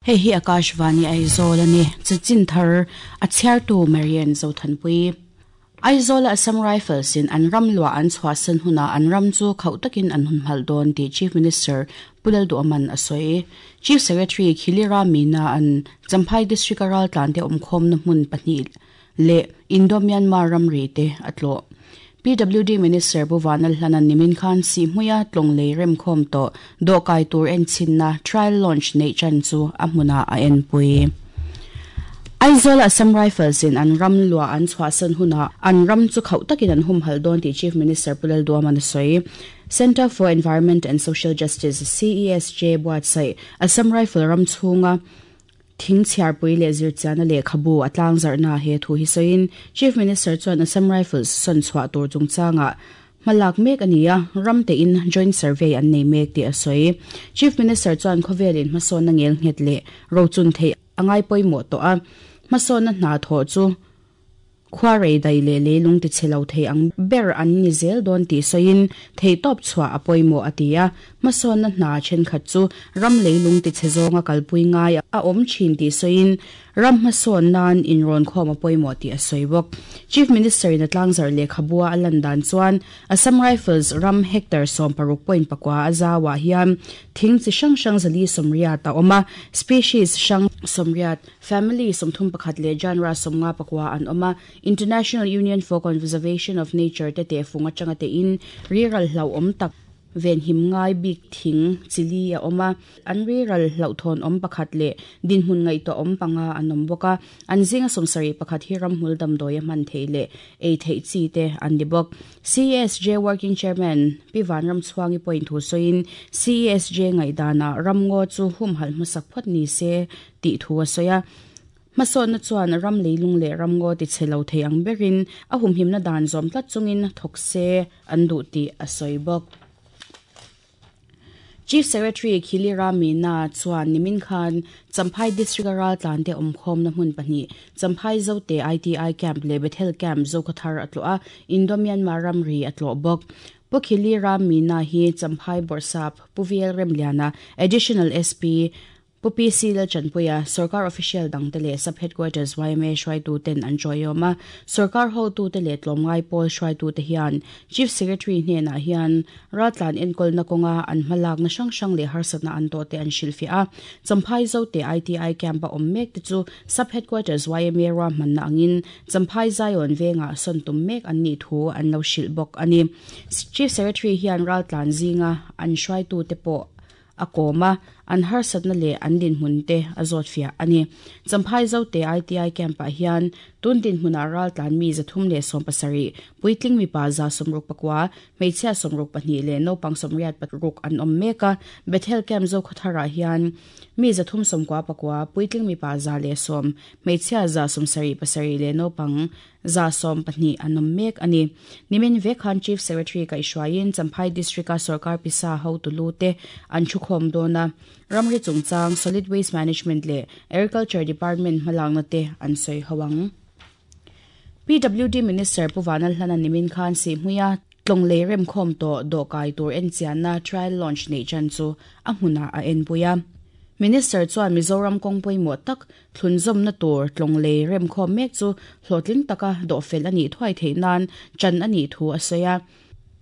Hei hi Akashvani Aizawl a ni. Chanchin thar a chhiartu Marian Zothanpui. Aizawl-a Assam Rifles in an ram luah an chhuahsan hunah an ram chu khauh takin an hun hmalh dawn tih Chief Minister Pu Lalduhawman a sawi. Chief Secretary Khilira Meena an Champhai District-a raltlante awmkhawmna hmun pahnih leh Indo-Myanmar ramri te a tlawh. PWD Minister Pu Vanlalhlana'n nimin khan Sihhmuia tlawng lei remkhawm tawh dawhkai tur enchhinna trial launch neih chan chu a hmunah a enpui. Aizawl-a Assam Rifles in an ram luah an chhuahsan hunah an ram chu khauh takin an humhalh dawn tih Chief Minister Pu Lalduaman a sawi. Centre for Environment and Social Justice, CESJ, buatsaih Assam Rifle ram chhunga Thing chhiarpui leh zirchianna lehkhabu a tlangzarhna he thu hi sawiin Chief Minister chuan Assam Rifles sawn chhuah tur chungchangah hmalak mek a ni a, ram tein joint survey an nei mek tih a sawi. Chief Minister chuan khawvelin hmasawnna ngel nghet leh rochun theih a ngai pawimawh tawh a, hmasawnna hna thawh chu Khua rei dai leh leilung ti chhe lo thei ang ber an ni zel dawn tih sawiin theihtawp chhuah a pawimawh a ti a. Hmasawnna hna thenkhat chu ram leilung ti chhe zawnga kalpui ngai a awm thin tih sawiin ram hmasawn nan inrawnkhawm a pawimawh tih a sawi bawk. Chief Minister in a tlangzarh lehkhabua a lan dan chuan Assam Rifles ram hectare 16.4 a zauah hian thing chi hrang hrang 480 a awm a, species hrang 80 Family 31 leh Genre 59 an awm a, International Union for Conservation of Nature te tehfung atanga tein riral hlauhawm tak venhim ngai bik thing chili a awm a, an riral hlauhthawn awm pakhat leh dinhmun ngaihtuah awm panga an awm bawk a, an zinga 71 hi ramhmul damdawi a hman theih leh ei theih chi te an ni bawk. CESJ Working Chairman Pi Vanramchhuangi pawhin thu sawiin CESJ ngaihdanah ramngaw chu humhalh hmasak phawt ni se tih thu a sawi a. Hmasawnna chuan ram leilung leh ramngaw ti chhe lo thei ang berin a humhimna dan zawm tlat chungin thawk se an duh tih a sawi bawk. Chief Secretary Khilira Meena chuan nimin khan Champhai District-a raltlante awmkhawmna hmun pahnih, Champhai Zote ITI Camp leh Bethel Camp Zokhawthar a tlawh a, Indo-Myanmar ramri a tlawh bawk. Pu Khilira Meena hi Champhai Bawrhsap Pu VL Remliana, Additional SP, Pu PC Lalchanpuia, Sorkar official dangte leh Sub Headquarters yma hruaituten an chawiawm a. Sorkar hotute leh tlawmngai pawl hruaitute hian Chief Secretary hnenah hian raltlan enkawlna kawnga an hmalakna hrang hrang leh harsatna an tawhte an hrilhfiah a. Champhai Zote ITI Camp-a awm mekte chu Sub Headquarters yma ruahmanna angin Champhai Zion vengah sawn tum mek an nih thu an lo hrilh bawk a ni. Chief Secretary hian raltlan zinga an hruaitute pawh a kawm a, an harsatna leh an dinhmun te a zawtfiah a ni. Champhai Zote ITI Camp-ah hian tun dinhmunah raltlan mi 317, puitling mipa 64, hmeichhia 62 leh naupang 86 an awm mek a. Bethel Camp Zokhawtharah hian mi 399, puitling mipa 110, hmeichhia 77 leh naupang 12 an awm mek a ni. Nimin vek khan Chief Secretary kaihhruaiin Champhai District-a sorkar pisa hotu lu te an thukhawm dawn a, ramri chungchang, Solid Waste Management leh Agriculture Department hmalakna te an sawi ho ang. PWD Minister Pu Vanlalhlana nimin khan Sihhmuia tlawng lei remkhawm tawh dawhkai tur enchianna trial launch neih chan chu a hmunah a enpui a. Minister chuan Mizoram kawng pawimawh tak Thlunzawmna tur tlawng lei remkhawm mek chu hlawhtling taka dawhfel a nih thuai theih nan ṭan a nih thu a sawi a.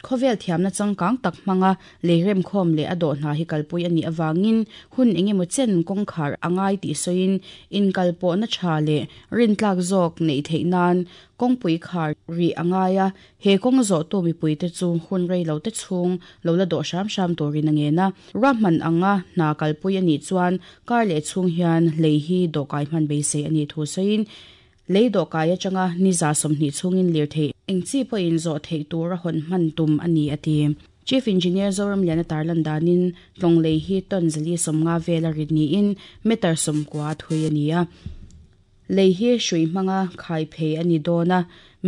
Khawvel thiamna changkang tak hmanga lei remkhawm leh a dawh hna hi kalpui a nih avangin hun engemaw chen kawngkhar a ngai tih sawiin inkalpawhna ṭha leh rintlak zawk neih theih nan kawngpui khar rih a ngai a, He kawng zawhtu mipuite chu hun rei lo te chhung lo la dawh hram hram turin a ngen a. Ruahman anga hna kalpui a nih chuan kar leh chhung hian lei hi dawhkai hman beisei a nih thu sawiin, lei dawhkai atanga ni 20 chhungin lirthei eng chi pawhin zawh theih tura hawn hman tum a ni a ti. Chief Engineer Zoramliana tarlan danin tlawng lei hi ton 450 vela rit niin meter 90 thui a ni a. Lei hi hrui hmanga khai phei a ni dawn a,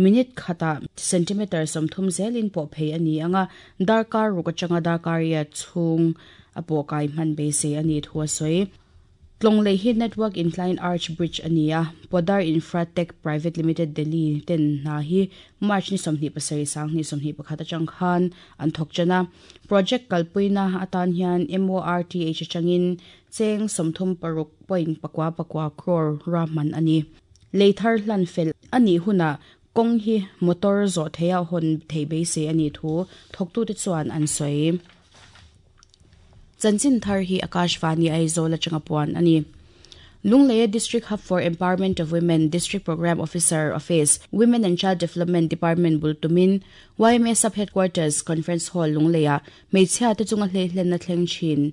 minute khatah centimetre 30 zelin pawh phei a ni ang a, darkar ruk atanga darkar riat chhung a pawh kai hman beisei a nih thu a sawi. Tlawng lei hi Network Incline Arch Bridge a ni a, Podar Infratech Private Limited Delhi ten hna hi March ni 27 2021 atang khan an thawk tan a. Project kalpuina atan hian MORTH atangin cheng 36 point pakua pakua crore ruahman a ni. Lei thar hlan fel a nih hunah kawng hi motor zawh theiha hawn theih beisei a nih thu thawktute chuan an sawi. Chanchin thar hi Akashvani Aizawl atanga puan a ni. Lungleia District Hub for Empowerment of Women District Programme Officer Office, Women and Child Development Department bul tumin yma Sub Headquarters Conference Hall Lungleia hmeichhia te chunga hleihlenna thleng thin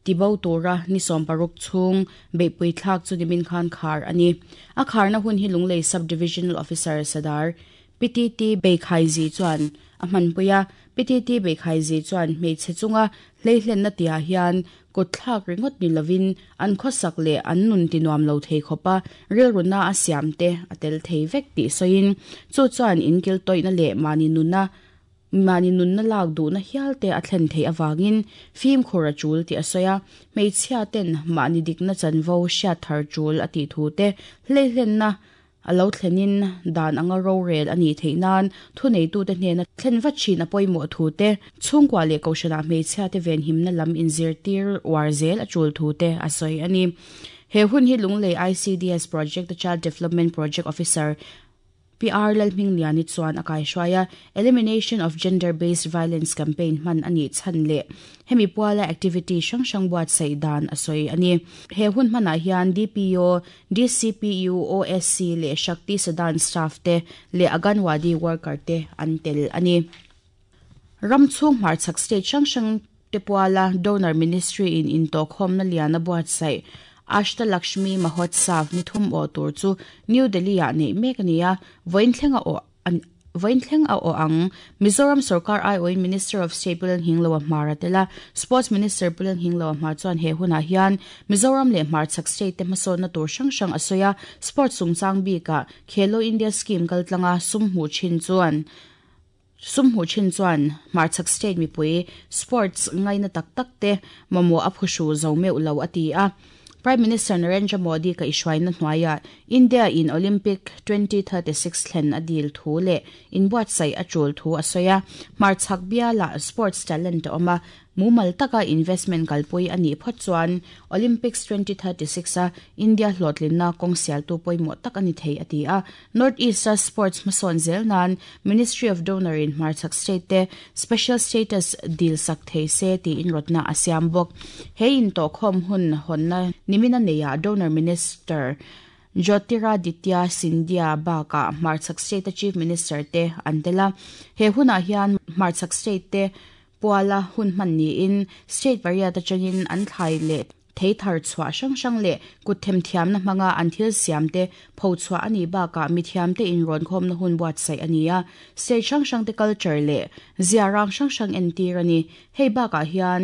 tibo tura ni 16 chhung beihpui thlak chu nimin khan khar a ni. A kharna hun hi Lunglei Sub Divisional Officer Sadar PTT Beikhaiji chuan a hmanpui a, PTT Beikhaiji chuan hmeichhe chunga hleihlenna tihah hian kutthlak ringawt ni lovin an khawsak leh an nun ti nuam lo thei khawpa rilruna a siam te a tel thei vek tih sawiin chu chuan inkil tawihna leh mahni nuna mahni nunna lak duhna hial te a thlen theih avangin fimkhur a tul tih a sawi a, hmeichhia ten mahni dikna chanvo hriat thar tul a tih thu te hleihlenna A lo thlenin dan anga rorel a nih theih nan thuneitute hnena thlen vat thin a pawimawh thu te, chhungkua leh kohhranah hmeichhiate venhimna lam inzirtir uar zel a tul thu te a sawi a ni. He hun hi Lunglei ICDS Project-a Child Development Project Officer PR Lalhmingliani chuan a kaihruai a, Elimination of Gender Based Violence Campaign hman a nih chhan leh Hemi puala activity hrang hrang buatsaih dan a sawi a ni. He hun hmanah hian DPO, DCPU, OSC leh Shakti Sadan staff te leh Aganwadi worker te an tel a ni. Ram chhung hmarchhak state hrang hrang te puala Donor Ministry in intawhkhawmna lian a buatsaih Ashta Lakshmi Mahotsav ni thum awh tur chu New Delhi ah neih mek a ni a, vawiin thleng a awh Vawiin thleng a awh ang. Mizoram sorkar aiawhin Minister of State Pu Lalnghingloa Hmar a tel a, Sports Minister Pu Lalnghingloa Hmar chuan he hunah hian Mizoram leh hmarchhak state te hmasawnna tur hrang hrang a sawi a, sports chungchang bikah Khelo India Scheme kaltlanga sum hmuh thin chuan sum hmuh thin chuan hmarchhak state mipui sports ngaina tak tak te mamawh a phuhru zo meuh lo a ti a. Prime Minister Narendra Modi kaihhruaina hnuaiah India in Olympic 2036 thlen a dil thu leh inbuatsaih a tul thu a sawi a. Hmarchhak bialah sports talent a awm a, mumal taka investment kalpui a nih phawt chuan Olympics 2036 a India hlawhtlinna kawng sialtu pawimawh tak a ni thei a ti a. North East a sports hmasawn zel nan Ministry of Donor in hmarchhak state te special status dil sak thei se tiin rawtna a siam bawk. He intawhkhawm hun hawnna nimina neiah Donor Minister Jyotiraditya Scindia bakah hmarchhak state a Chief Minister te an tel a. He hunah hian hmarchhak state te puala hun hman niin state pariat atangin an thlai leh Thei thar chhuah hrang hrang leh kut themthiamna hmanga an thil siamte pho chhuah a nih bakah mithiamte inrawnkhawmna hun buatsaih a ni a, state hrang hrangte culture leh zia rang hrang hrang entir a ni. Hei bakah hian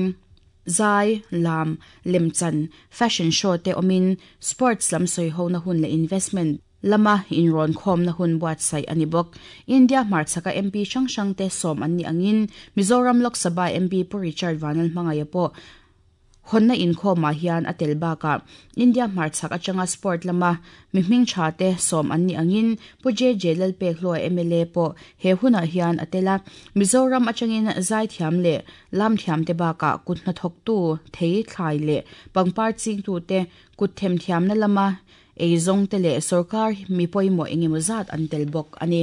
zai, lam, lemchan, fashion show te awmin sports lam sawihona hun leh investment lama inrawnkhawmna hun buatsaih a ni bawk. India hmarchhaka MP hrang hrangte sawm an nih angin Mizoram Lok Sabha MP Pu Richard Vanlalhmangaia pawh Hawnna inkhawmah hian a tel bakah India hmarchhak atanga sport lama mi hming tha te sawm an nih angin Pu JJ Lalpekhlua mla pawh he hunah hian a tel a. Mizoram atangin zaithiam leh lamthiamte bakah kut hnathawktu, thei, thlai leh pangpar chingtute kut themthiamna lama eizawngte leh sorkar mi pawimawh engemaw zat an tel bawk a ni.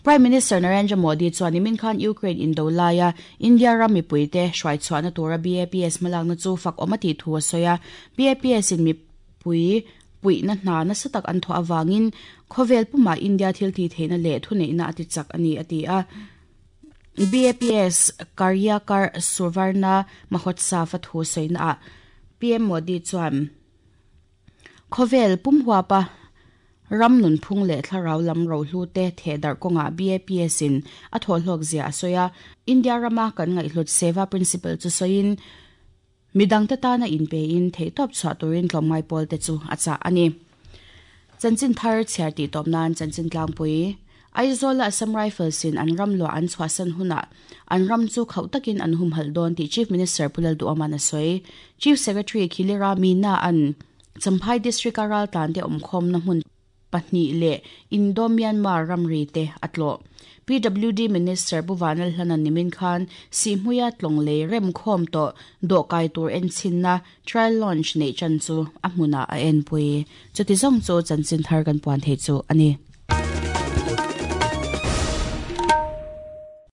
Prime Minister Narendra Modi chuan nimin khan Ukraine indo laia India ram mipuite hruaichhuahna tura BAPS hmalakna chu fak awm a tih thu a sawi a. BAPS in mipui puihna hna nasa tak an thawh avangin khawvel pumah India thil tih theihna leh thuneihna a ti chak a ni a ti a. BAPS Karyakar Suvarna Mahotsav a thu sawinaah PM Modi chuan Khawvel pum huapa ram nunphung leh thlarau lam rohlu te thehdarh kawngah BAPS in a thawhhlawk zia a sawi a. India rama kan ngaihhlut Seva Principle chu sawiin, midangte tana inpein theihtawp chhuah turin tlawmngai pawl te chu a chah a ni. Chanchin thar chhiar tih tawp nan chanchin tlangpui. Aizawl-a Assam Rifles-in an ram luah an chhuahsan hunah an ram chu khauh takin an humhalh dawn tih Chief Minister Pu Lalduhawma'n a sawi. Chief Secretary Khilira Meena-a'n Champhai District-a raltlante awmkhawmna hmun pahnih leh Indo-Myanmar ramri te a tlawh. PWD Minister Pu Vanlalhlana nimin khan Sihhmuia tlawng lei remkhawm tawh dawhkai tur enchhinna trial launch neih chan chu a hmunah a enpui. Chuti zawng chu chanchin thar kan puan thei chu a ni.